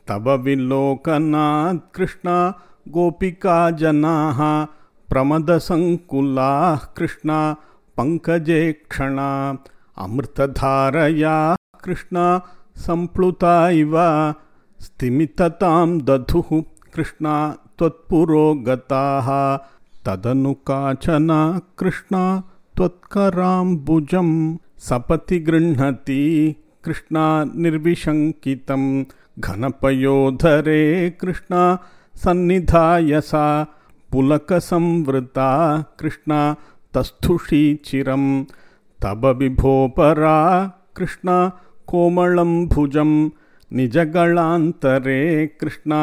तव विलोकनात् कृष्ण गोपिका जनाः प्रमदसङ्कुलाः कृष्ण पङ्कजे क्षणा अमृतधारया कृष्ण सम्प्लुता इव स्तिमिततां दधुः कृष्ण त्वत्पुरो गताः तदनु काचन कृष्ण त्वत्कराम्बुजं सपति गृह्णति कृष्ण निर्विशङ्कितं घनपयोधरे कृष्ण सन्निधाय सा पुलकसंवृता कृष्ण तस्थुषी चिरं तव विभोपरा कृष्ण कोमलं भुजं निजगलान्तरे कृष्ण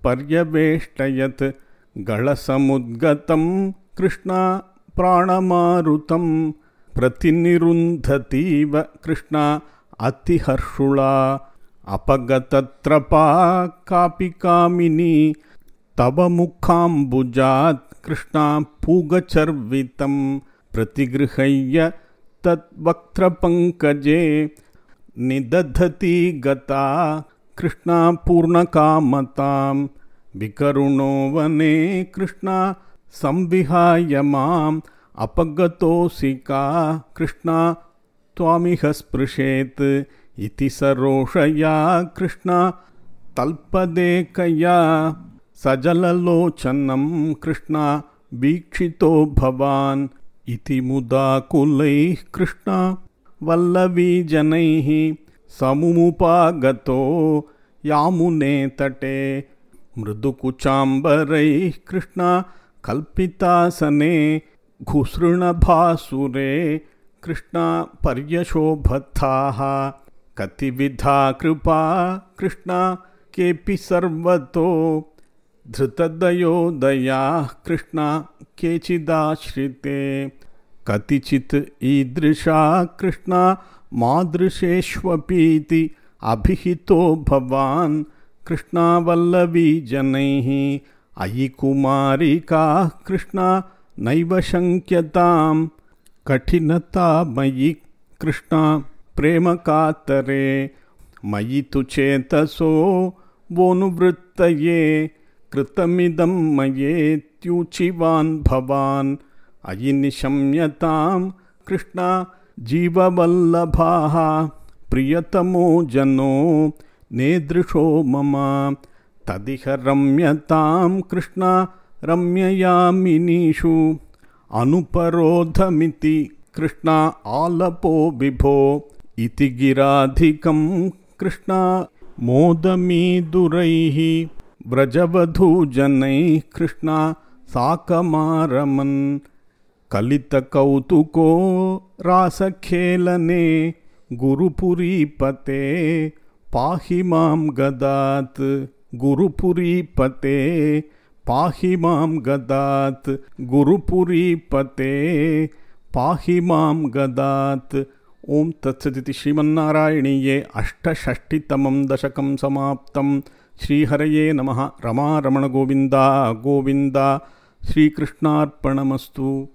पर्यवेष्टयत् गलसमुद्गतं कृष्ण प्राणमारुतं प्रतिनिरुन्धतीव कृष्ण अतिहर्षुला अपगतत्रपा कापि कामिनी तव मुखाम्बुजात् कृष्ण पूगचर्वितं प्रतिगृह्य तद्वक्त्रपङ्कजे निदधति गता कृष्ण पूर्णकामतां विकरुणो वने कृष्ण संविहाय माम् अपगतोऽसि का कृष्ण त्वामिह स्पृशेत् इति सरोषया कृष्ण तल्पदेकया सजललोचनं कृष्ण वीक्षितो भवान् इति मुदाकुलैः कृष्ण वल्लवीजनैः समुमुपागतो यामुने तटे मृदुकुचाम्बरैः कृष्ण कल्पितासने घुसृणभासुरे कृष्ण पर्यशोभथाः कतिविधा कृपा कृष्ण केऽपि सर्वतो धृतदयोदयाः कृष्ण केचिदाश्रिते कतिचित् ईदृशा कृष्ण मादृशेष्वपीति अभिहितो भवान् कृष्ण वल्लवीजनैः अयि कुमारिकाः कृष्ण नैव शङ्क्यतां कठिनता मयि कृष्ण प्रेमकातरे मयि तु चेतसो वोनुवृत्तये कृतमिदं मयेत्यूचिवान् भवान् अयि निशम्यतां कृष्ण जीववल्लभाः प्रियतमो जनो नेदृशो मम तदिह रम्यतां कृष्ण रम्ययामिनीषु अनुपरोधमिति कृष्ण आलपो विभो इति गिराधिकं कृष्ण मोदमीदुरैः व्रजवधूजनैः कृष्ण साकमारमन् कलितकौतुको रासखेलने गुरुपुरीपते पाहि मां गदात् गुरुपुरीपते पाहि मां गदात् गुरुपुरीपते पाहि मां गदात्। ओम तत्सदिति श्रीमन्नारायणीये अष्टषष्टितमं दशकं समाप्तं। श्रीहरये नमः। रमा रमण गोविन्दा गोविन्दा। श्रीकृष्णार्पणमस्तु।